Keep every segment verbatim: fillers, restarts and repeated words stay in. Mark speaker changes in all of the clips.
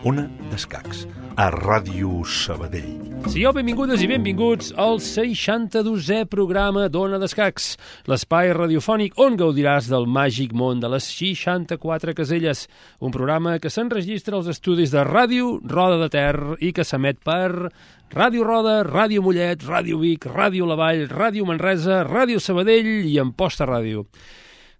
Speaker 1: Ona d'Escacs, a Ràdio Sabadell.
Speaker 2: Sigueu benvingudes i benvinguts al seixanta-dosè programa d'Ona d'Escacs, l'espai radiofònic on gaudiràs del màgic món de les seixanta-quatre caselles, un programa que s'enregistra als estudis de Ràdio Roda de Ter i que s'emet per Ràdio Roda, Ràdio Mollet, Ràdio Vic, Ràdio La Vall, Ràdio Manresa, Ràdio Sabadell i Amposta Ràdio.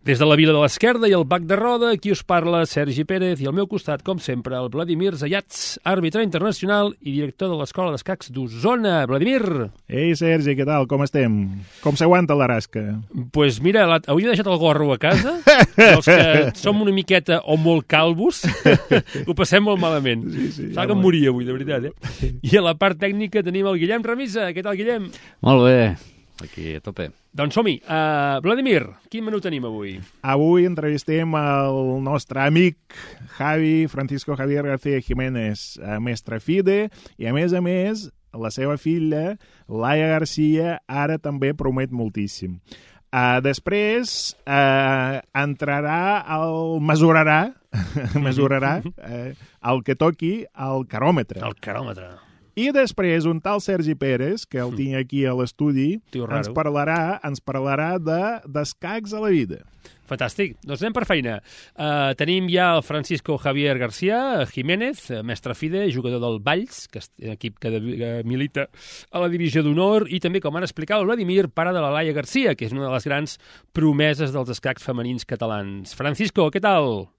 Speaker 2: Des de la Vila de l'Esquerda i el Bac de Roda, aquí us parla Sergi Pérez i al meu costat, com sempre, el Vladimir Zayats, àrbitre internacional i director de l'Escola d'Escacs d'Osona. Vladimir!
Speaker 3: Ei, Sergi, què tal? Com estem? Com s'aguanta la rasca?
Speaker 2: Doncs pues mira, la... avui he deixat el gorro a casa, els que som una miqueta o molt calvos, ho passem molt malament. Sí, sí, Sap ja que em moria avui, de veritat, eh? I a la part tècnica tenim el Guillem Remisa. Què tal, Guillem?
Speaker 4: Molt bé. Aquí, a tope.
Speaker 2: Doncs som-hi. Uh, Vladimir, quin menú tenim avui?
Speaker 3: Avui entrevistem el nostre amic Javi, Francisco Javier García Jiménez, mestre FIDE, i a més a més, la seva filla, Laia García, ara també promet moltíssim. Uh, després uh, entrarà, el mesurarà, mesurarà uh, el que toqui al caròmetre.
Speaker 2: El caròmetre.
Speaker 3: I després un tal Sergi Pérez, que el tinc aquí a l'estudi, ens parlarà, ens parlarà de d'escacs a la vida.
Speaker 2: Fantàstic. Doncs anem per feina. Uh, tenim ja el Francisco Javier García Jiménez, mestre FIDE, jugador del Valls, que és un equip que, de, que milita a la divisió d'honor, i també, com han explicat, el Vladimir, pare de la Laia García, que és una de les grans promeses dels escacs femenins catalans. Francisco, ¿qué tal?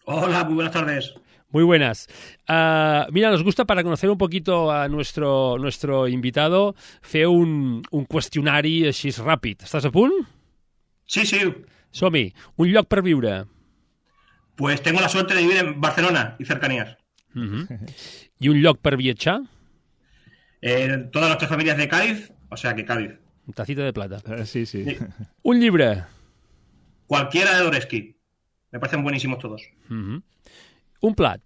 Speaker 5: Hola, muy buenas tardes.
Speaker 2: Muy buenas. Uh, mira, nos gusta, para conocer un poquito a nuestro, nuestro invitado, fer un, un qüestionari així ràpid. Estàs a punt?
Speaker 5: Sí, sí.
Speaker 2: Som-hi. Un lloc per viure.
Speaker 5: Pues tengo la suerte de vivir en Barcelona y cercanías.
Speaker 2: Uh-huh. I un lloc per viatjar?
Speaker 5: Eh, todas nuestras familias de Cádiz, o sea que Cádiz.
Speaker 2: Tacita de plata.
Speaker 3: Uh, sí, sí, sí.
Speaker 2: Un llibre?
Speaker 5: Cualquiera de Dostoyevski. Me parecen buenísimos todos.
Speaker 2: Uh-huh. Un plat?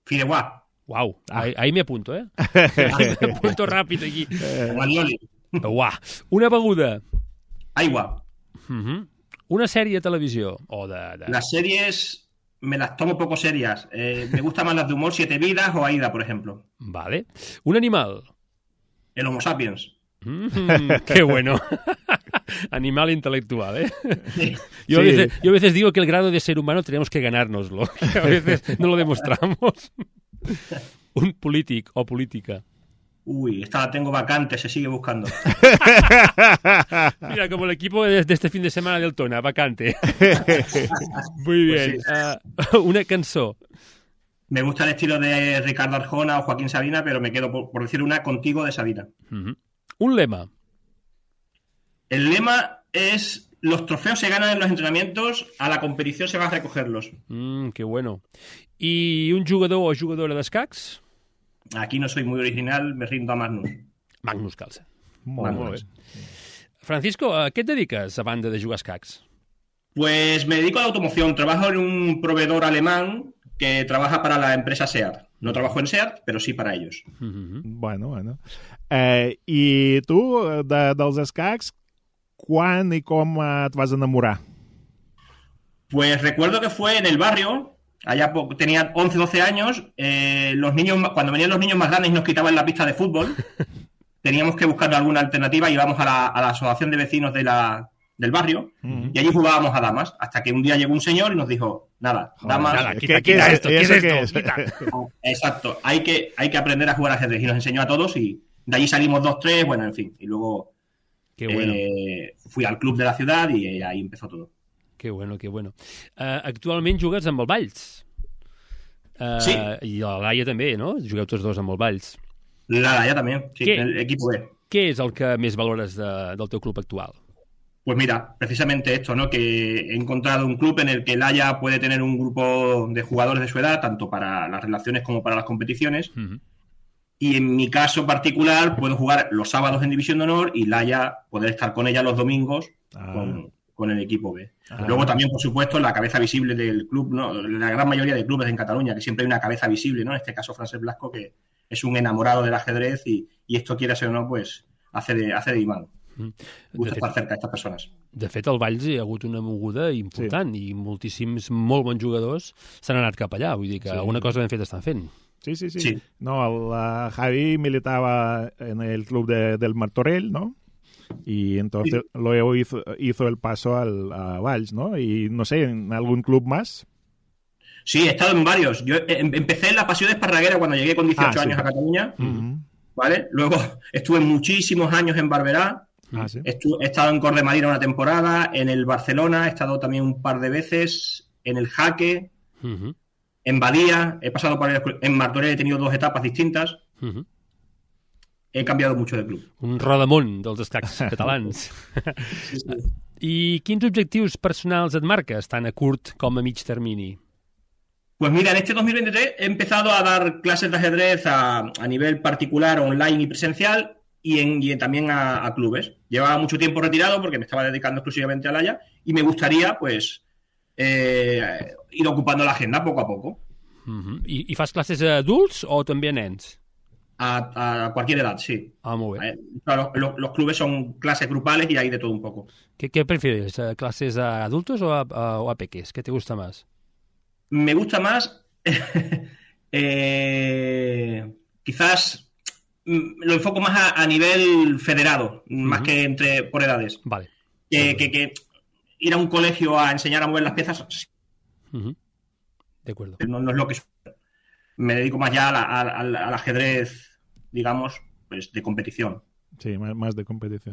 Speaker 5: Fideuà.
Speaker 2: Uau, ah. ahí, ahí me apunto, eh? Ahí me apunto ràpid aquí.
Speaker 5: Gualioli.
Speaker 2: Uau. Una beguda?
Speaker 5: Aigua.
Speaker 2: Uh-huh. Una sèrie de televisió? O de, de...
Speaker 5: Las series me las tomo poco serias. Eh, me gustan más las de humor, Siete Vidas o Aida, por ejemplo.
Speaker 2: Vale. Un animal?
Speaker 5: El Homo sapiens.
Speaker 2: Mm, qué bueno. Animal intelectual, ¿eh?
Speaker 5: Sí.
Speaker 2: Yo, a veces, yo a veces digo que el grado de ser humano tenemos que ganárnoslo. Que a veces no lo demostramos. Un polític o política.
Speaker 5: Uy, esta la tengo vacante, se sigue buscando.
Speaker 2: Mira, como el equipo de, de este fin de semana del Tona, vacante. Muy bien.
Speaker 5: Pues sí.
Speaker 2: uh, una cançó.
Speaker 5: Me gusta el estilo de Ricardo Arjona o Joaquín Sabina, pero me quedo, por, por decir una, Contigo de Sabina.
Speaker 2: Uh-huh. Un lema.
Speaker 5: El lema es: los trofeos se ganan en los entrenamientos, a la competición se va a recogerlos.
Speaker 2: Mm, qué bueno. ¿Y un jugador o jugadora d'escacs?
Speaker 5: Aquí no soy muy original, me rindo a Magnus.
Speaker 2: Magnus Carlsen.
Speaker 3: Molt,
Speaker 2: molt bé. Francisco, a què et dediques a banda de jugar a escacs?
Speaker 5: Pues me dedico a la automoción. Trabajo en un proveedor alemán que trabaja para la empresa SEAT. No trabajo en SEAT, pero sí para ellos.
Speaker 2: Mm-hmm.
Speaker 3: Bueno, bueno. Eh, I tu, de, dels escacs, quan i com et vas enamorar?
Speaker 5: Pues recuerdo que fue en el barrio, allá tenía once, doce años, eh, los niños, cuando venían los niños más grandes y nos quitaban la pista de fútbol, teníamos que buscar alguna alternativa, íbamos a la, a la asociación de vecinos de la, del barrio uh-huh. y allí jugábamos a damas, hasta que un día llegó un señor y nos dijo, nada,
Speaker 2: Joder,
Speaker 5: damas...
Speaker 2: Nada, quita, ¿Qué, quita qué esto, ¿qué es esto? Es? Quita.
Speaker 5: Exacto, hay que, hay que aprender a jugar ajedrez y nos enseñó a todos y de allí salimos dos, tres, bueno, en fin, y luego...
Speaker 2: Qué bueno.
Speaker 5: Eh, fui al club de la ciudad y ahí empezó todo.
Speaker 2: Qué bueno, qué bueno. Uh, actualment jugues amb el Valls. Uh,
Speaker 5: sí.
Speaker 2: I la Laia també, no? Jugueu tots dos amb el Valls.
Speaker 5: La Laia también, sí,
Speaker 2: ¿Qué?
Speaker 5: el equipo B.
Speaker 2: Què és el que més valores de, del teu club actual?
Speaker 5: Pues mira, precisamente esto, ¿no? Que he encontrado un club en el que Laia puede tener un grupo de jugadores de su edad, tanto para las relaciones como para las competiciones. Uh-huh. Y en mi caso particular puedo jugar los sábados en División de Honor y Laia poder estar con ella los domingos ah. con, con el equipo B. Ah. Luego también, por supuesto, la cabeza visible del club, ¿no? La gran mayoría de clubes en Cataluña, que siempre hay una cabeza visible, ¿no? En este caso, Francesc Blasco, que es un enamorado del ajedrez y, y esto, quiera ser o no, pues hace de, hace de imán. Me gusta estar cerca d'aquestes persones.
Speaker 2: De fet, al Valls hi ha hagut una moguda important sí. i moltíssims molt bons jugadors s'han anat cap allà. Vull dir que sí. alguna cosa ben fet estan fent.
Speaker 3: Sí, sí, sí.
Speaker 5: sí.
Speaker 3: No, el uh, Javi militaba en el club de, del Martorell, ¿no? Y entonces sí. luego hizo, hizo el paso al, a Valls, ¿no? Y no sé, ¿en algún club más?
Speaker 5: Sí, he estado en varios. Yo empecé en la Pasión Esparraguera cuando llegué con dieciocho ah, años sí. a Cataluña, uh-huh. ¿vale? Luego estuve muchísimos años en Barberá, ah, ¿sí? Estu- he estado en Cor de Madrid una temporada, en el Barcelona he estado también un par de veces, en el Jaque, uh-huh. en Badía, he pasado por el, en Martorell he tenido dos etapas distintas. Uh-huh. He canviat mucho de club.
Speaker 2: Un rodamón dels escacs catalans. Sí, sí. I quins objectius personals et marques, tant a curt com a mig termini?
Speaker 5: Pues mira, en este dos mil veintitrés he empezado a dar clases de ajedrez a, a nivel particular, online y presencial, y, en, y también a, a clubes. Llevaba mucho tiempo retirado porque me estaba dedicando exclusivamente al Haya y me gustaría, pues, eh, ir ocupando la agenda poco a poco.
Speaker 2: Uh-huh. I, I fas classes a adults o també a nens?
Speaker 5: A, a cualquier edad, sí.
Speaker 2: Ah, muy bien.
Speaker 5: Claro, los, los clubes son clases grupales y hay de todo un poco.
Speaker 2: ¿Qué, qué prefieres? ¿Clases a adultos o a, a, o a peques? ¿Qué te gusta más?
Speaker 5: Me gusta más... eh, quizás lo enfoco más a, a nivel federado, uh-huh. más que entre por edades.
Speaker 2: Vale.
Speaker 5: Que, que, que ir a un colegio a enseñar a mover las piezas...
Speaker 2: Uh-huh. De acuerdo.
Speaker 5: No, no es lo que... Me dedico más ya a la, a, a, al ajedrez, digamos, pues de competició.
Speaker 3: Sí, més de competició.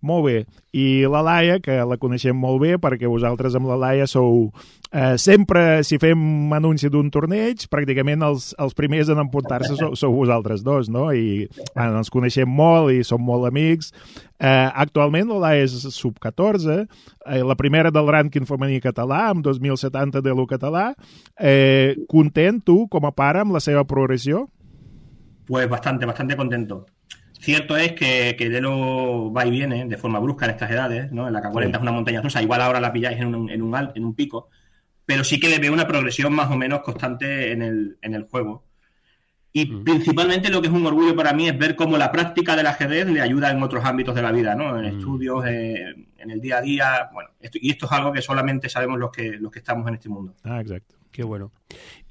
Speaker 3: Molt bé. I la Laia, que la coneixem molt bé, perquè vosaltres amb la Laia sou... Eh, sempre, si fem anunci d'un torneig, pràcticament els, els primers en emportar-se sou, sou vosaltres dos, no? I bueno, ens coneixem molt i som molt amics. Eh, actualment la Laia és sub catorze, eh, la primera del rànquing femení català, amb dos mil setanta de l'U català. Eh, content, tu, com a pare, amb la seva progressió?
Speaker 5: Pues bastante, bastante contento. Cierto es que, que Lelo va y viene de forma brusca en estas edades, ¿no? En la K cuarenta sí. Es una montaña rusa, igual ahora la pilláis en un, en, un, en un pico, pero sí que le veo una progresión más o menos constante en el, en el juego. Y mm. principalmente lo que es un orgullo para mí es ver cómo la práctica del ajedrez le ayuda en otros ámbitos de la vida, ¿no? En mm. estudios, eh, en el día a día, bueno, esto, y esto es algo que solamente sabemos los que, los que estamos en este mundo.
Speaker 3: Ah, exacte.
Speaker 2: Que bueno.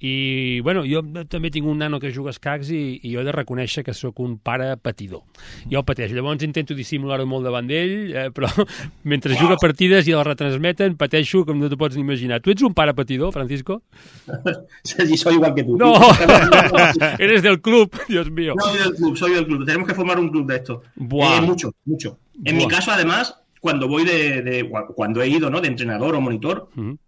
Speaker 2: I, bueno, jo també tinc un nano que juga a escacs i, i jo he de reconèixer que sóc un pare patidor. Jo el pateixo. Llavors intento dissimular-ho molt davant d'ell, eh, però mentre juga partides i el retransmeten, pateixo com no t'ho pots ni imaginar. Tu ets un pare patidor, Francisco?
Speaker 5: Sí, soy igual que tú.
Speaker 2: No, eres del club, Dios mío.
Speaker 5: No, soy del club, soy del club. Tenemos que formar un club de esto. Eh, mucho, mucho. En Buah. mi caso, además, cuando voy de, de... cuando he ido, ¿no? De entrenador o monitor... Uh-huh.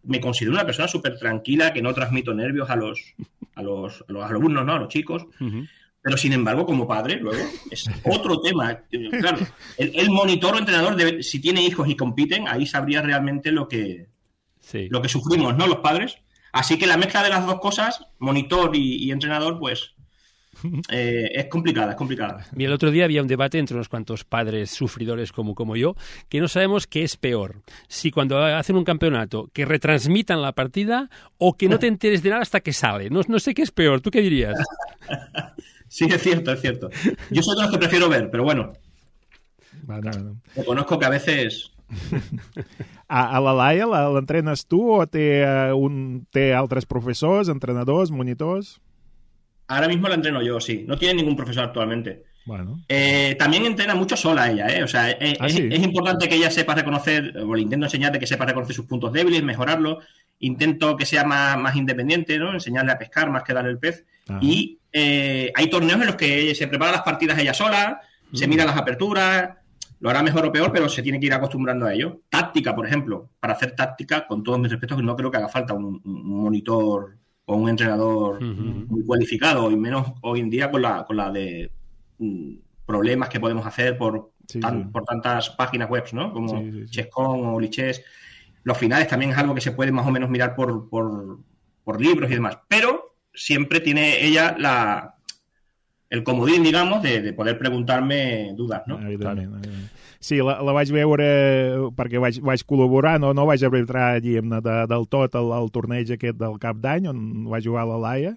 Speaker 5: Me considero una persona súper tranquila, que no transmito nervios a los, a los, a los alumnos, ¿no? A los chicos. Uh-huh. Pero, sin embargo, como padre, luego, es otro tema. Claro, el, el monitor o entrenador, debe, si tiene hijos y compiten, ahí sabría realmente lo que, sí. lo que sufrimos, ¿no? Los padres. Así que la mezcla de las dos cosas, monitor y, y entrenador, pues... Eh, es complicada, es complicada.
Speaker 2: Mira, el otro día había un debate entre unos cuantos padres sufridores como, como yo, que no sabemos qué es peor. Si cuando hacen un campeonato, que retransmitan la partida o que no te enteres de nada hasta que sale. No, no sé qué es peor. ¿Tú qué dirías?
Speaker 5: Sí, es cierto, es cierto. Yo soy de los que prefiero ver, pero bueno.
Speaker 3: Bueno, bueno.
Speaker 5: Reconozco que a veces...
Speaker 3: A, a la Laia l'entrenes tu o té, un, té altres professors, entrenadors, monitors?
Speaker 5: Ahora mismo la entreno yo, sí. No tiene ningún profesor actualmente.
Speaker 3: Bueno.
Speaker 5: Eh, también entrena mucho sola ella, ¿eh? O sea, es,
Speaker 3: ¿Ah, sí?
Speaker 5: es, es importante que ella sepa reconocer, o le intento enseñar de que sepa reconocer sus puntos débiles, mejorarlos. Intento que sea más, más independiente, ¿no? Enseñarle a pescar más que darle el pez. Ajá. Y eh, hay torneos en los que se prepara las partidas ella sola, mm. se mira las aperturas, lo hará mejor o peor, pero se tiene que ir acostumbrando a ello. Táctica, por ejemplo. Para hacer táctica, con todos mis respetos, no creo que haga falta un, un monitor... o un entrenador uh-huh. muy cualificado, y menos hoy en día con la, con la de mm, problemas que podemos hacer por,
Speaker 3: sí,
Speaker 5: tan,
Speaker 3: sí.
Speaker 5: por tantas páginas web, ¿no? Como
Speaker 3: sí, sí, sí.
Speaker 5: Chess.com o Lichess. Los finales también es algo que se puede más o menos mirar por, por, por libros y demás, pero siempre tiene ella la el comodín, digamos, de, de poder preguntarme dudas, ¿no?
Speaker 3: Evidentment, evidentment. Sí, la, la vaig veure perquè vaig, vaig col·laborar, no, no vaig arbitrar, diguem-ne, de, del tot al, al torneig aquest del cap d'any, on va jugar la Laia,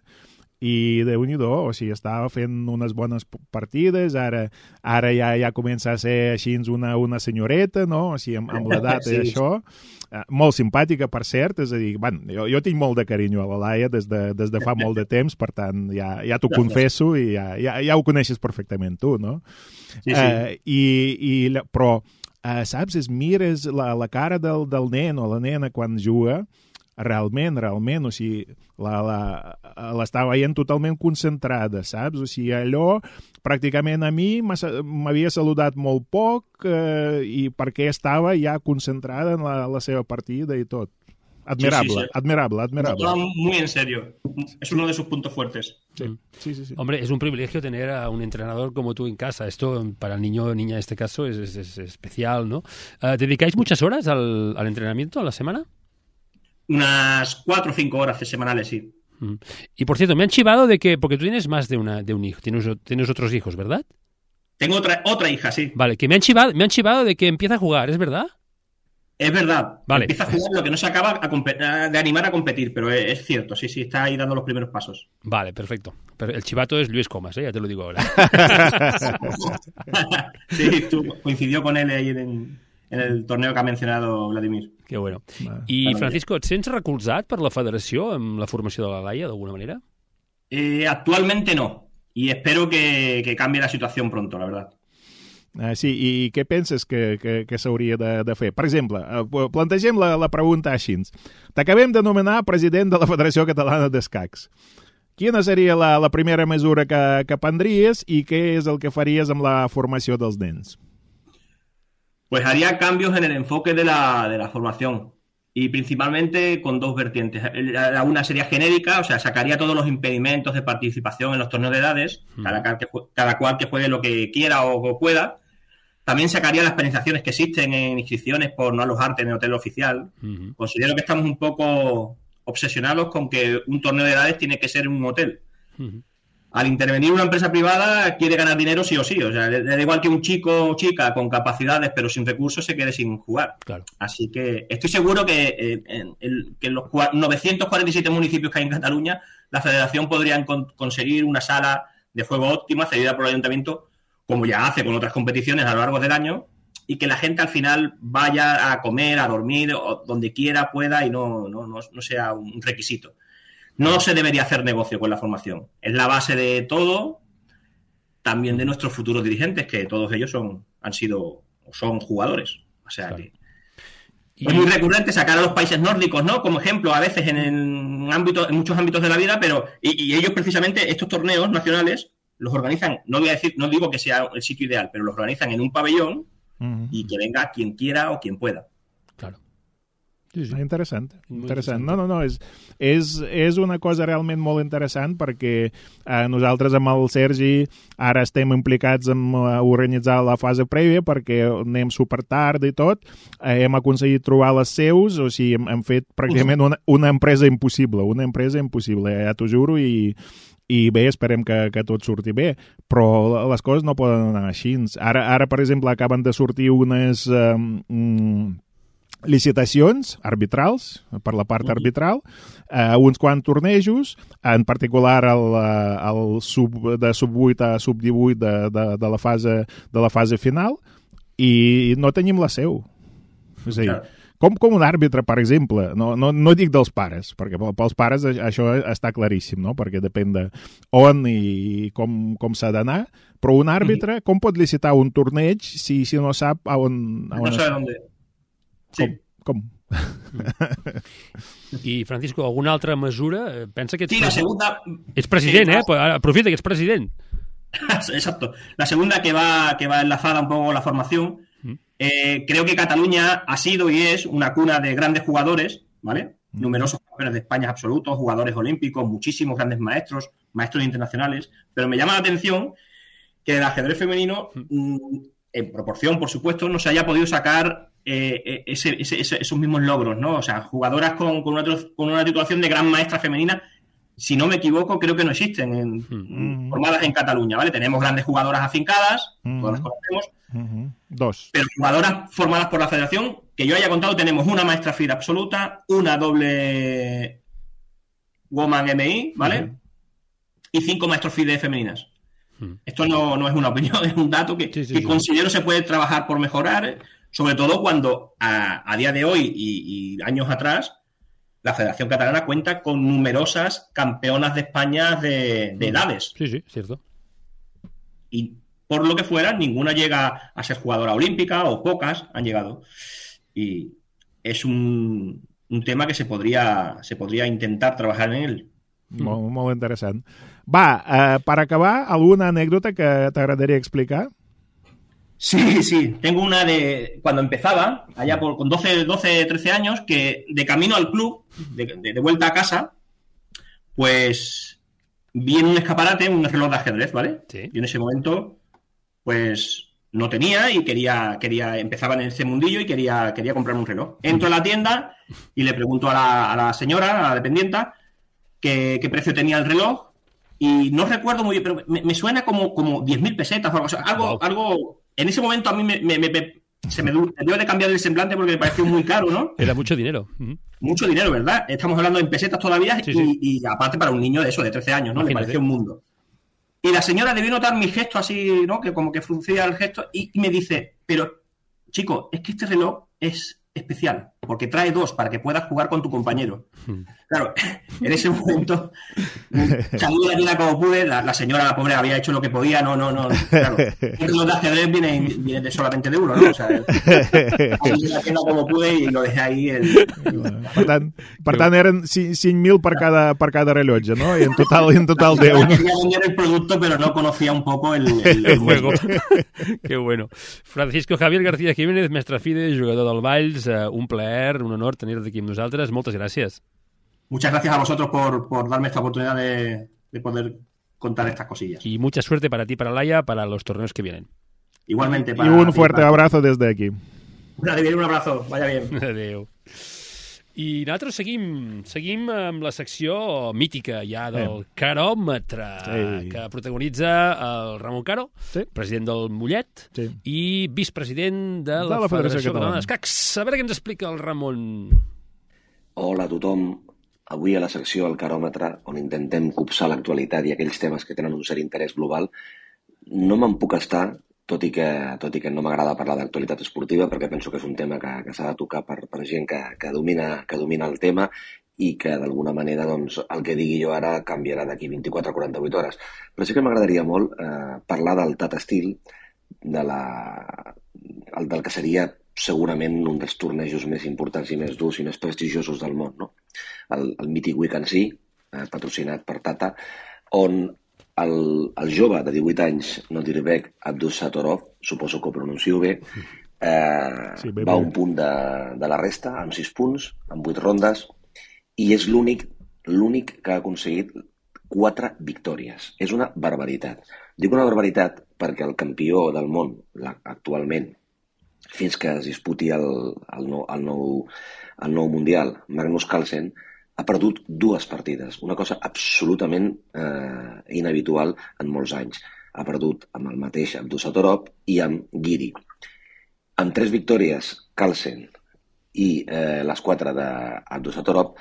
Speaker 3: i Déu-n'hi-do, o sigui, estava fent unes bones partides, ara, ara ja, ja comença a ser així una, una senyoreta, no? O sigui, amb, amb l'edat sí. i això. Uh, molt simpàtica, per cert, és a dir, bueno, jo, jo tinc molt de carinyo a la Laia des de, des de fa molt de temps, per tant, ja, ja t'ho confesso i ja, ja, ja ho coneixes perfectament tu, no?
Speaker 5: Sí, sí.
Speaker 3: Uh, i, i, però, uh, saps, es mires la, la cara del, del nen o la nena quan juga, realment, realment, o sigui, l'estava veient totalment concentrada, saps? O sigui, allò, pràcticament a mi m'havia saludat molt poc eh, i perquè estava ja concentrada en la, la seva partida i tot. Admirable, sí, sí, sí. admirable, admirable.
Speaker 5: Lo toma muy en serio. Es uno de sus puntos fuertes.
Speaker 3: Sí. Sí, sí, sí.
Speaker 2: Hombre, es un privilegio tener a un entrenador como tú en casa. Esto, para el niño o niña en este caso, es, es, es especial, ¿no? Uh, ¿Dedicáis muchas horas al, al entrenamiento a la semana?
Speaker 5: Unas cuatro o cinco horas semanales, sí.
Speaker 2: Y por cierto, me han chivado de que, porque tú tienes más de, una, de un hijo, tienes, tienes otros hijos, ¿verdad?
Speaker 5: Tengo otra, otra hija, sí.
Speaker 2: Vale, que me han chivado, me han chivado de que empieza a jugar, ¿es verdad?
Speaker 5: Es verdad.
Speaker 2: Vale.
Speaker 5: Empieza a jugar, lo que no se acaba a de animar a competir, pero es cierto, sí, sí, está ahí dando los primeros pasos.
Speaker 2: Vale, perfecto. Pero el chivato es Luis Comas, ¿eh? Ya te lo digo ahora.
Speaker 5: Sí, tú, coincidió con él ahí en, en el torneo que ha mencionado Vladimir.
Speaker 2: Que bueno. I, Francisco, et sents recolzat per la federació amb la formació de la Laia, d'alguna manera?
Speaker 5: Eh, actualmente no. Y espero que, que cambie la situación pronto, la verdad.
Speaker 3: Uh, sí, i què penses que, que, que s'hauria de, de fer? Per exemple, uh, plantegem la, la pregunta així. T'acabem de nomenar president de la Federació Catalana d'Escacs. Quina seria la, la primera mesura que, que prendries i què és el que faries amb la formació dels nens?
Speaker 5: Pues haría cambios en el enfoque de la, de la formación y principalmente con dos vertientes. Una sería genérica, o sea, sacaría todos los impedimentos de participación en los torneos de edades, mm. cada, cada cual que juegue lo que quiera o, o pueda. También sacaría las penalizaciones que existen en inscripciones por no alojarte en el hotel oficial. Mm-hmm. Considero que estamos un poco obsesionados con que un torneo de edades tiene que ser en un hotel. Mm-hmm. Al intervenir una empresa privada quiere ganar dinero sí o sí. O sea, le, le da igual que un chico o chica con capacidades pero sin recursos se quede sin jugar.
Speaker 2: Claro.
Speaker 5: Así que estoy seguro que, eh, en, en, que en los novecientos cuarenta y siete municipios que hay en Cataluña la federación podría con, conseguir una sala de juego óptima cedida por el ayuntamiento, como ya hace con otras competiciones a lo largo del año, y que la gente al final vaya a comer, a dormir, o donde quiera, pueda, y no, no, no, no sea un requisito. No se debería hacer negocio con la formación. Es la base de todo, también de nuestros futuros dirigentes, que todos ellos son han sido o son jugadores. O sea claro. que y... es muy recurrente sacar a los países nórdicos, ¿no? Como ejemplo, a veces en, en, ámbito, en muchos ámbitos de la vida, pero y, y ellos precisamente estos torneos nacionales los organizan, no voy a decir, no digo que sea el sitio ideal, pero los organizan en un pabellón uh-huh. y que venga quien quiera o quien pueda.
Speaker 2: Claro.
Speaker 3: Sí, sí. Interessant, interessant. No, no, no, és, és, és una cosa realment molt interessant perquè eh, nosaltres amb el Sergi ara estem implicats en uh, organitzar la fase prèvia perquè anem super tard i tot, eh, hem aconseguit trobar les seus, o sigui, hem, hem fet pràcticament una, una empresa impossible, una empresa impossible, ja t'ho juro, i i bé, esperem que, que tot surti bé, però les coses no poden anar així. Ara, ara per exemple, acaben de sortir unes eh, mm, licitacions arbitrals, per la part arbitral, eh, uns quants tornejos, en particular el, el sub, de sub vuit a sub divuit de, de, de, la fase, de la fase final, i no tenim la seu. És a dir, com, com un àrbitre, per exemple, no, no, no dic dels pares, perquè pels pares això està claríssim, no? Perquè depèn de on i com, com s'ha d'anar, però un àrbitre, com pot licitar un torneig si, si no sap a on... A on
Speaker 5: no sabe on... Sí.
Speaker 3: Com? com?
Speaker 2: I, Francisco, alguna altra mesura? Pensa que ets,
Speaker 5: sí, la segunda...
Speaker 2: ets president,
Speaker 5: sí,
Speaker 2: eh? Aprofita que ets president.
Speaker 5: Exacto. La segunda que va, que va enlazada un poco la formación. Eh, creo que Cataluña ha sido y es una cuna de grandes jugadores, ¿vale? Mm. Numerosos campeones de España absolutos, jugadores olímpicos, muchísimos grandes maestros, maestros internacionales, pero me llama la atención que el ajedrez femenino, mm, en proporción, por supuesto, no se haya podido sacar eh, ese, ese, esos mismos logros, ¿no? O sea, jugadoras con, con, una, con una titulación de gran maestra femenina, si no me equivoco, creo que no existen en, mm. formadas en Cataluña, ¿vale? Tenemos grandes jugadoras afincadas, mm. todas las conocemos,
Speaker 3: uh-huh. Dos.
Speaker 5: Pero jugadoras formadas por la federación, que yo haya contado, tenemos una maestra F I D absoluta, una doble Woman M I, ¿vale? Uh-huh. y cinco maestros FIDE femeninas. Hmm. Esto no, no es una opinión, es un dato que, sí, sí, que sí. considero se puede trabajar por mejorar, sobre todo cuando a, a día de hoy y, y años atrás la Federación Catalana cuenta con numerosas campeonas de España de, de edades.
Speaker 2: Sí, sí, cierto.
Speaker 5: Y por lo que fuera, ninguna llega a ser jugadora olímpica, o pocas han llegado. Y es un, un tema que se podria, se podria intentar treballar en ell.
Speaker 3: Molt, molt interessant. Va, eh, per acabar, alguna anècdota que t'agradaria explicar?
Speaker 5: Sí, sí. Tengo una de cuando empezaba, allá por, con doce, doce, trece años, que de camino al club, de, de, de vuelta a casa, pues vi en un escaparate un reloj de ajedrez, ¿vale? Sí. Y en ese momento, pues no tenía y quería, quería empezaba en ese mundillo y quería, quería comprarme un reloj. Entro a la tienda y le pregunto a la, a la señora, a la dependienta, qué, qué precio tenía el reloj. Y no recuerdo muy bien, pero me, me suena como, como diez mil pesetas o algo. O sea, algo, wow. algo. En ese momento a mí me, me, me, me se me dio de cambiar el semblante porque me pareció muy caro, ¿no?
Speaker 2: Era mucho dinero. Uh-huh.
Speaker 5: Mucho dinero, ¿verdad? Estamos hablando en pesetas todavía sí, y, sí. y aparte para un niño de eso, de trece años, ¿no? Imagínate. Le pareció un mundo. Y la señora debió notar mi gesto así, ¿no? Que como que fruncía el gesto y, y me dice, pero, chico, es que este reloj es especial, porque trae dos para que puedas jugar con tu compañero. Hmm. Claro, en ese momento salí de la tienda como pude, la, la señora, la pobre, había hecho lo que podía, no, no, no, claro. Los de ajedrez vienen, vienen de solamente de uno, ¿no? O sea, salí de la tienda como pude y lo dejé ahí. El...
Speaker 3: Per tant, per tant eren cinc mil per cada, per cada rellotge, no? I en total, en total deu.
Speaker 5: No quería vender el producto, pero no conocía un poco el, el,
Speaker 2: el juego. Qué bueno. Francisco Javier García Jiménez, mestre FIDE, jugador del Valls, un plaer, un honor tenir-te aquí amb nosaltres. Moltes gràcies.
Speaker 5: Muchas gracias a vosotros por, por darme esta oportunidad de, de poder contar estas cosillas.
Speaker 2: Y mucha suerte para ti, para Laia, para los torneos que vienen.
Speaker 5: Igualmente. Para
Speaker 3: y un fuerte para... abrazo desde aquí.
Speaker 5: Un abrazo, vaya bien.
Speaker 2: Adéu. I nosaltres seguim, seguim amb la secció mítica ja del sí. caròmetre, sí. que protagonitza el Ramon Caro, sí. president del Mollet, sí. i vicepresident de la, de la Federació, Federació Catalana d'Escacs. A veure què ens explica el Ramon.
Speaker 6: Hola a tothom. Avui a la secció del caròmetre, on intentem copsar l'actualitat i aquells temes que tenen un cert interès global, no me'n puc estar, tot i que, tot i que no m'agrada parlar d'actualitat esportiva, perquè penso que és un tema que, que s'ha de tocar per, per gent que, que, domina, que domina el tema i que d'alguna manera doncs, el que digui jo ara canviarà d'aquí vint-i-quatre a quaranta-vuit hores. Però sí que m'agradaria molt eh, parlar del Tata Steel, de la, el, del que seria segurament un dels tornejos més importants i més durs i més prestigiosos del món, no? El, el mític Weekend Sea, eh, patrocinat per Tata, on el, el jove de divuit anys, Nodirbek Abdusattorov, suposo que ho pronuncio bé, eh, sí, bé, va a un punt de, de la resta, amb sis punts, amb vuit rondes, i és l'únic l'únic que ha aconseguit quatre victòries. És una barbaritat. Dic una barbaritat perquè el campió del món, actualment, fins que es disputi el, el, nou, el, nou, el nou Mundial, Magnus Carlsen, ha perdut dues partides, una cosa absolutament eh, inhabitual en molts anys. Ha perdut amb el mateix Abdusattorov i amb Giri. Amb tres victòries, Carlsen i eh, les quatre d'Abdusattorov,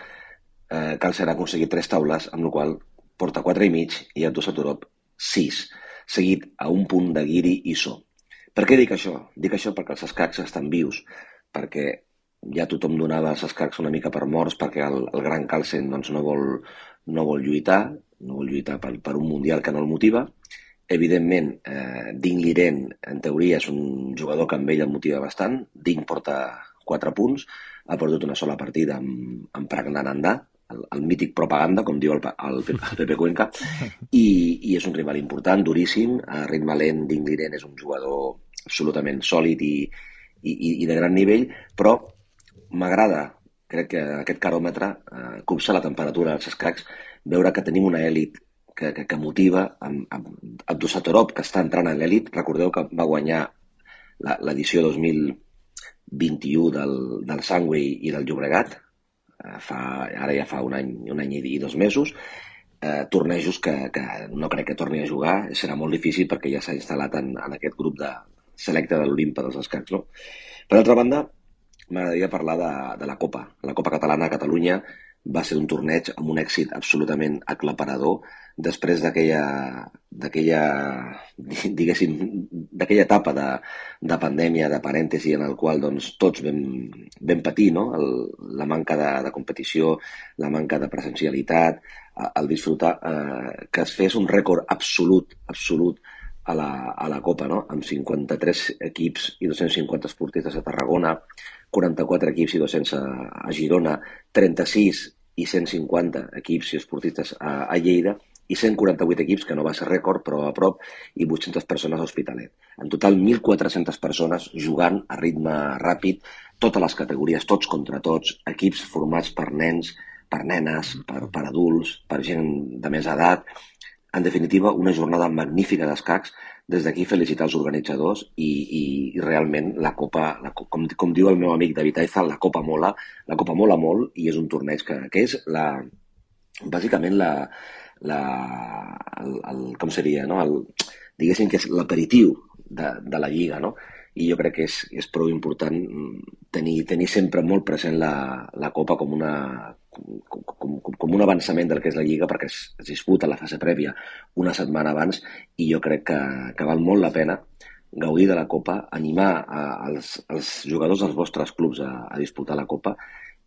Speaker 6: eh, Carlsen ha aconseguit tres taules, amb la qual porta quatre i mig i Abdusattorov sis, seguit a un punt de Giri i So. Per què dic això? Dic això perquè els escacs estan vius, perquè ja tothom donava els escacs una mica per morts perquè el, el gran Carlsen doncs, no, vol, no vol lluitar, no vol lluitar per, per un mundial que no el motiva. Evidentment, eh, Ding Liren, en teoria, és un jugador que amb ell el motiva bastant. Ding porta quatre punts, ha perdut una sola partida amb, amb Pragnananda, el, el mític propaganda, com diu el, el, el Pepe Cuenca, i, i és un rival important, duríssim. A ritme lent, Ding Liren és un jugador absolutament sòlid i, i, i de gran nivell, però m'agrada, crec que aquest caròmetre eh, copsa la temperatura dels escacs, veure que tenim una èlit que, que, que motiva amb, amb Abdusattorov, que està entrant en l'èlit. Recordeu que va guanyar l'edició dos mil vint-i-u del, del Sangway i del Llobregat, eh, fa, ara ja fa un any, un any i dos mesos, eh, tornejos que, que no crec que torni a jugar, serà molt difícil perquè ja s'ha instal·lat en, en aquest grup de selecte de l'Olimpa dels escacs, no? Per altra banda, m'agradaria parlar de, de la Copa, la Copa Catalana a Catalunya, va ser un torneig amb un èxit absolutament aclaparador després d'aquella, d'aquella diguéssim, d'aquella etapa de, de pandèmia, de parèntesi, en el qual doncs, tots vam, vam patir, no? el, la manca de, de competició, la manca de presencialitat, el disfrutar, eh, que es fes un rècord absolut, absolut a la, a la Copa, no? Amb cinquanta-tres equips i dos-cents cinquanta esportistes a Tarragona, quaranta-quatre equips i dos-cents a, a Girona, trenta-sis i cent cinquanta equips i esportistes a, a Lleida, i cent quaranta-vuit equips, que no va ser rècord, però a prop, i vuit-centes persones a Hospitalet. En total, mil quatre-centes persones jugant a ritme ràpid, totes les categories, tots contra tots, equips formats per nens, per nenes, per, per adults, per gent de més edat. En definitiva, una jornada magnífica d'escacs. Des d'aquí felicitar els organitzadors i, i, i realment la Copa, la, com, com diu el meu amic David Aizal, la Copa mola, la Copa mola molt i és un torneig que, que és la, bàsicament la, la, el, el, com seria, no? el, diguéssim que és l'aperitiu de, de la Lliga, no? I jo crec que és, és prou important tenir, tenir sempre molt present la, la Copa com, una, com, com, com un avançament del que és la Lliga, perquè es, es disputa la fase prèvia una setmana abans, i jo crec que, que val molt la pena gaudir de la Copa, animar a, als, als jugadors dels vostres clubs a, a disputar la Copa,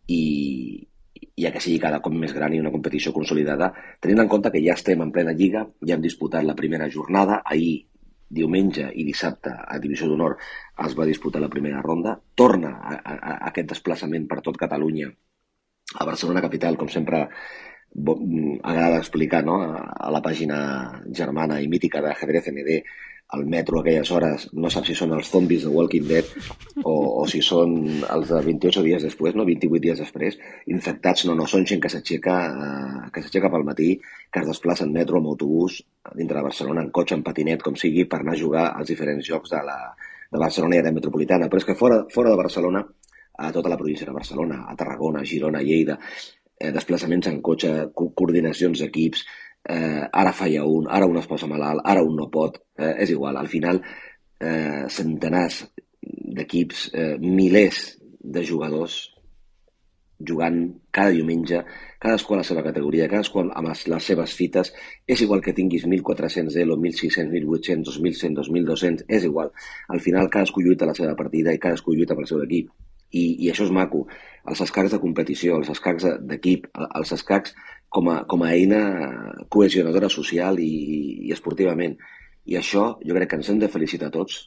Speaker 6: i, ja que sigui cada cop més gran i una competició consolidada, tenint en compte que ja estem en plena Lliga, ja hem disputat la primera jornada, ahir, diumenge i dissabte a Divisió d'Honor es va disputar la primera ronda, torna a, a, a aquest desplaçament per tot Catalunya, a Barcelona capital, com sempre agrada explicar, no? a, a la pàgina germana i mítica d'Ajedrez N D, al metro a aquelles hores no sap si són els zombis de Walking Dead o, o si són els de vint-i-ocho dies després, no? vint-i-vuit dies després, infectats, no, no, són gent que s'aixeca eh, que s'aixeca pel matí, que es desplaça en metro, en autobús, dintre de Barcelona, en cotxe, en patinet, com sigui, per anar a jugar als diferents jocs de, la, de Barcelona i de metropolitana. Però és que fora, fora de Barcelona, a tota la província de Barcelona, a Tarragona, a Girona, a Lleida, eh, desplaçaments en cotxe, co coordinacions d'equips, Eh, ara falla un, ara un es posa malalt, ara un no pot, eh, és igual, al final eh, centenars d'equips, eh, milers de jugadors jugant cada diumenge, cadascú a la seva categoria, cadascú amb les, les seves fites, és igual que tinguis mil quatre-cents elo, mil sis-cents, mil vuit-cents, dos mil cent, dos mil dos-cents, és igual, al final cadascú lluita la seva partida i cadascú lluita pel seu equip. I, i això és maco, els escacs de competició, els escacs d'equip, els escacs com a, com a eina cohesionadora social i, i esportivament. I això jo crec que ens hem de felicitar tots.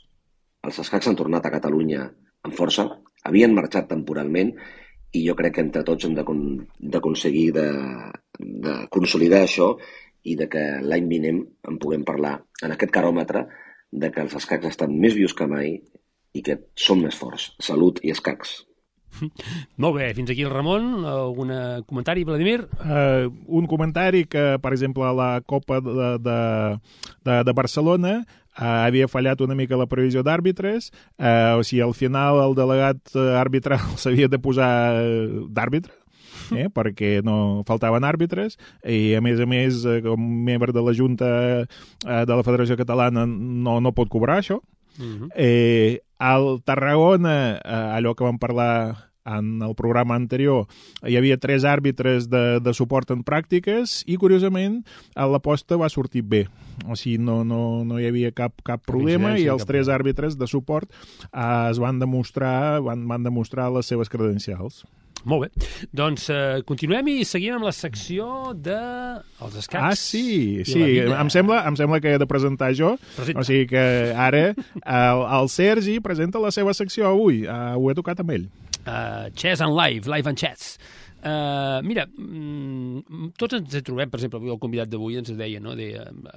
Speaker 6: Els escacs han tornat a Catalunya amb força, havien marxat temporalment i jo crec que entre tots hem d'aconseguir de, de consolidar això i de que l'any vinent en puguem parlar en aquest caròmetre de que els escacs estan més vius que mai i que som més forts. Salut i escacs.
Speaker 2: Molt bé, fins aquí el Ramon. Algun comentari, Vladimir?
Speaker 3: Uh, un comentari que, per exemple, a la Copa de, de, de, de Barcelona uh, havia fallat una mica la previsió d'àrbitres, uh, o sigui, al final el delegat arbitral s'havia de posar d'àrbitre, eh, perquè no faltaven àrbitres, i a més a més, com membre de la Junta uh, de la Federació Catalana no, no pot cobrar això. Uh-huh. eh, al Tarragona, eh, allò que vam parlar en el programa anterior, hi havia tres àrbitres de, de suport en pràctiques i, curiosament, l'aposta va sortir bé. O sigui, no, no, no hi havia cap, cap problema i els tres àrbitres de suport eh, es van demostrar, van, van demostrar les seves credencials.
Speaker 2: Molt bé. Doncs eh, continuem i seguim amb la secció de els escacs.
Speaker 3: Ah, sí, sí. Em sembla, em sembla que he de presentar jo. Presenta. O sigui que ara el, el Sergi presenta la seva secció avui. Uh, ho he tocat amb ell.
Speaker 2: Uh, Chess and Live, Live and Chess. Uh, mira, mm, tots ens trobem, per exemple, avui el convidat d'avui ens deia, no?, de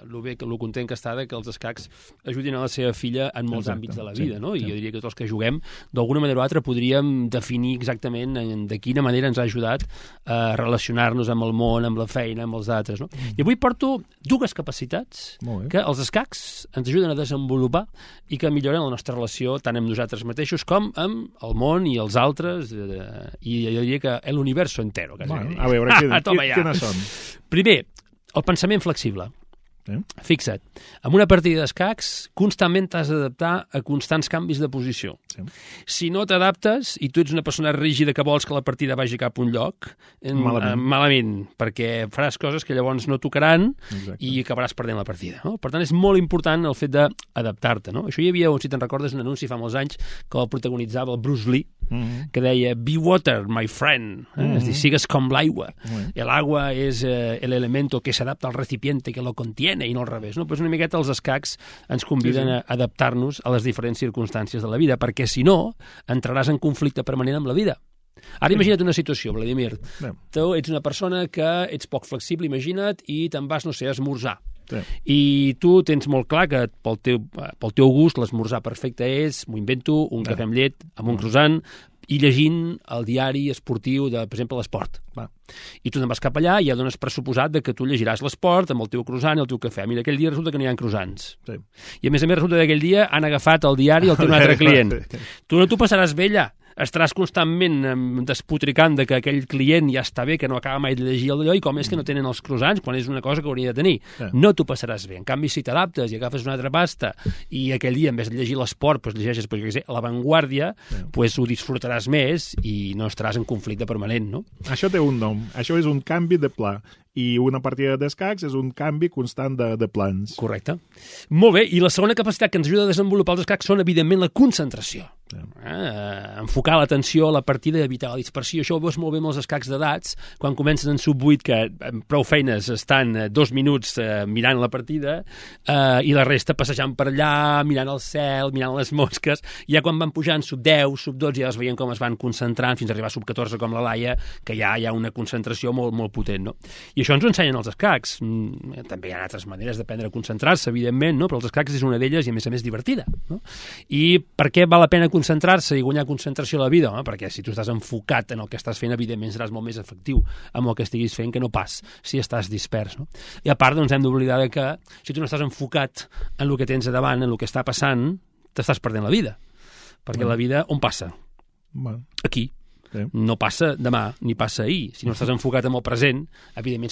Speaker 2: lo bé, lo content que està de que els escacs ajudin a la seva filla en molts Exacte, àmbits de la vida, sí, no? I sí. Jo diria que tots els que juguem, d'alguna manera o altra, podríem definir exactament de quina manera ens ha ajudat a relacionar-nos amb el món, amb la feina, amb els altres, no? Mm. I avui porto dues capacitats que els escacs ens ajuden a desenvolupar i que milloren la nostra relació tant amb nosaltres mateixos com amb el món i els altres, eh, i jo diria que l'univers entero. Quasi.
Speaker 3: Bueno, a veure, quin, quin, quines són?
Speaker 2: Primer, el pensament flexible.
Speaker 3: Eh?
Speaker 2: Fixa't, en una partida d'escacs constantment t'has d'adaptar a constants canvis de posició.
Speaker 3: Sí.
Speaker 2: Si no t'adaptes i tu ets una persona rígida que vols que la partida vagi cap a un lloc,
Speaker 3: Malament.
Speaker 2: eh, malament, perquè faràs coses que llavors no tocaran
Speaker 3: Exacte.
Speaker 2: i acabaràs perdent la partida. No? Per tant, és molt important el fet d'adaptar-te. No? Això hi havia, si te'n recordes, un anunci fa molts anys que el protagonitzava el Bruce Lee,
Speaker 3: Mm-hmm.
Speaker 2: que deia, be water, my friend. Eh?
Speaker 3: Mm-hmm.
Speaker 2: És a dir, sigues com l'aigua.
Speaker 3: Mm-hmm.
Speaker 2: El agua és eh, el elemento que s'adapta al recipiente que lo contiene i no al revés. No? Pues una miqueta els escacs ens conviden
Speaker 3: Sí, sí.
Speaker 2: a adaptar-nos a les diferents circumstàncies de la vida, perquè si no, entraràs en conflicte permanent amb la vida. Ara imagina't una situació, Vladimir.
Speaker 3: Sí.
Speaker 2: Tu ets una persona que ets poc flexible, imagina't, i te'n vas, no sé, a esmorzar.
Speaker 3: Sí.
Speaker 2: I tu tens molt clar que pel teu, pel teu gust l'esmorzar perfecte és, m'ho invento, un cafè amb llet, amb un croissant, i llegint el diari esportiu de, per exemple, l'esport.
Speaker 3: Va.
Speaker 2: I tu te'n vas cap allà i ja dones pressuposat de que tu llegiràs l'esport amb el teu croissant i el teu cafè. Mira, aquell dia resulta que no hi ha croissants.
Speaker 3: Sí.
Speaker 2: I a més a més resulta que aquell dia han agafat el diari i el teu un altre client. Tu no t'ho passaràs bé allà. Estaràs constantment em, despotricant de que aquell client ja està bé, que no acaba mai de llegir allò, i com és que no tenen els croissants quan és una cosa que hauria de tenir.
Speaker 3: Sí.
Speaker 2: No t'ho passaràs bé. En canvi, si t'adaptes i agafes una altra pasta i aquell dia, en vez de llegir l'esport, doncs llegeixes, pues, jo què sé, l'avantguàrdia,
Speaker 3: Sí.
Speaker 2: pues, ho disfrutaràs més i no estaràs en conflicte permanent, no?
Speaker 3: Això té un nom. Això és un canvi de pla. I una partida d'escacs és un canvi constant de, de plans.
Speaker 2: Correcte. Molt bé, i la segona capacitat que ens ajuda a desenvolupar els escacs són, evidentment, la concentració.
Speaker 3: Sí.
Speaker 2: Eh, enfocar l'atenció a la partida i evitar la dispersió. Això ho veus molt bé amb els escacs d'edats, quan comencen en sub vuit, que amb prou feines estan eh, dos minuts eh, mirant la partida, eh, i la resta passejant per allà, mirant el cel, mirant les mosques. Ja quan van pujant sub deu, sub dotze, ja es veien com es van concentrant fins a arribar a sub catorze, com la Laia, que ja hi ha una concentració molt, molt potent, no? I això ens ho ensenyen els escacs. Mm, també hi ha altres maneres d'aprendre a concentrar-se, evidentment, no? Però els escacs és una d'elles i, a més a més, divertida. No? I per què val la pena concentrar-se i guanyar concentració a la vida? Home, perquè si tu estàs enfocat en el que estàs fent, evidentment seràs molt més efectiu amb el que estiguis fent que no pas si estàs dispers. No? I a part, doncs, hem d'oblidar que si tu no estàs enfocat en el que tens a davant, en el que està passant, t'estàs perdent la vida. Perquè
Speaker 3: Mm.
Speaker 2: la vida on passa?
Speaker 3: Bueno,
Speaker 2: Aquí.
Speaker 3: sí.
Speaker 2: No passa demà ni passa ahir. Si no estàs enfocat en el present, evidentment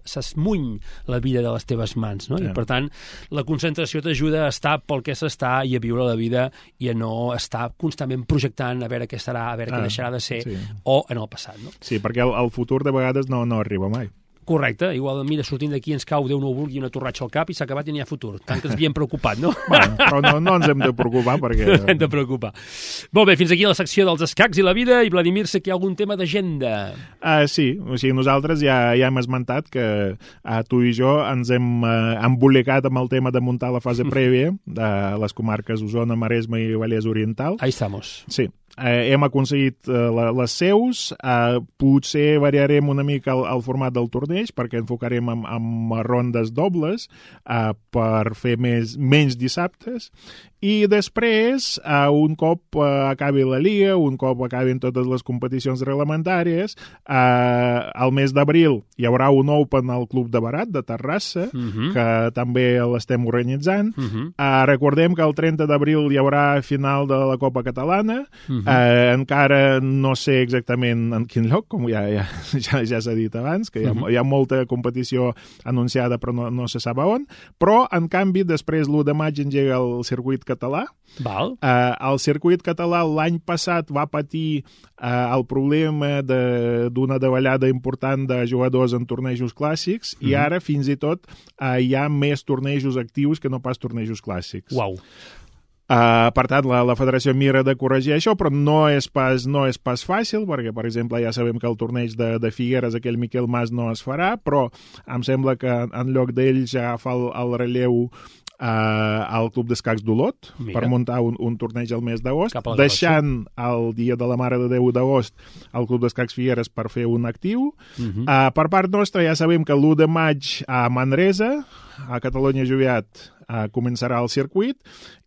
Speaker 2: s'esmuny la vida de les teves mans, no?
Speaker 3: Sí.
Speaker 2: I per tant, la concentració t'ajuda a estar pel que s'està i a viure la vida i a no estar constantment projectant a veure què serà, a veure
Speaker 3: Ah,
Speaker 2: què deixarà de ser,
Speaker 3: sí.
Speaker 2: o en el passat, no?
Speaker 3: Sí, perquè el, el futur de vegades no, no arriba mai.
Speaker 2: Correcte, igual, mira, sortint d'aquí ens cau, Déu no ho vulgui, una torratxa al cap i s'ha acabat i n'hi ha futur. Tant que ens havíem preocupat, no?
Speaker 3: Bueno, però no, no ens hem de preocupar perquè...
Speaker 2: No hem de preocupar. Molt bé, fins aquí la secció dels escacs i la vida. I Vladimir, sé que hi ha algun tema d'agenda.
Speaker 3: Uh, sí, o sigui, nosaltres ja, ja hem esmentat que uh, tu i jo ens hem uh, embolicat amb el tema de muntar la fase prèvia de les comarques Osona, Maresme i Vallès Oriental.
Speaker 2: Ahí estamos.
Speaker 3: Sí, eh, hem aconseguit eh, la, les seus, eh, potser variarem una mica el, el format del torneig perquè enfocarem amb, amb rondes dobles eh, per fer més, menys dissabtes i després, eh, un cop eh, acabi la Lliga, un cop acabin totes les competicions reglamentàries, eh, al mes d'abril hi haurà un Open al Club de Barat de Terrassa,
Speaker 2: Uh -huh.
Speaker 3: que també l'estem organitzant.
Speaker 2: Uh -huh.
Speaker 3: Uh, recordem que el trenta d'abril hi haurà final de la Copa Catalana.
Speaker 2: Uh -huh.
Speaker 3: uh, encara no sé exactament en quin lloc, com ja, ja, ja, ja s'ha dit abans, que hi ha,
Speaker 2: Uh -huh.
Speaker 3: hi ha molta competició anunciada però no, no se sap a on. Però, en canvi, després l'u de maig engega el circuit català.
Speaker 2: Val.
Speaker 3: Uh, el circuit català l'any passat va patir uh, el problema d'una de, davallada important de jugadors en tornejos clàssics uh -huh. i ara, fins i tot, uh, hi ha més tornejos actius que no pas tornejos clàssics.
Speaker 2: Uau.
Speaker 3: Uh, per tant, la, la federació mira de corregir això, però no és pas, no és pas fàcil, perquè, per exemple, ja sabem que el torneig de, de Figueres, aquell Miquel Mas, no es farà, però em sembla que en lloc d'ell ja fa el, el relleu Uh, al Club d'Escacs d'Olot per muntar un, un torneig al mes d'agost, deixant el dia de la Mare de Déu d'agost al Club d'Escacs Figueres per fer un actiu. Uh -huh. uh, per part nostra ja sabem que l'u de maig a Manresa, a Catalunya Joviat, uh, començarà el circuit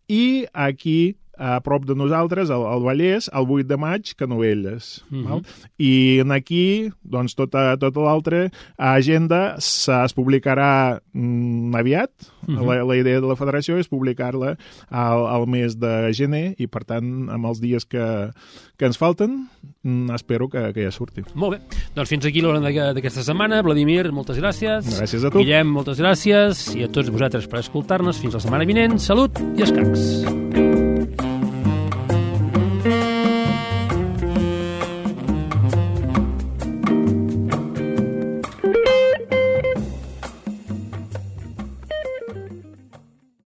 Speaker 3: i aquí a prop de nosaltres, al, al Vallès, el vuit de maig, Canovelles. Uh -huh. Val? I aquí, doncs, tota, tota l'altra agenda es publicarà mm, aviat. Uh -huh. la, la idea de la federació és publicar-la al, al mes de gener i, per tant, amb els dies que, que ens falten, mm, espero que, que ja surti.
Speaker 2: Molt bé. Doncs fins aquí l'hora d'aquesta setmana. Vladimir, moltes gràcies.
Speaker 3: Gràcies a tu.
Speaker 2: Guillem, moltes gràcies. I a tots vosaltres per escoltar-nos. Fins la setmana vinent. Salut i escacs.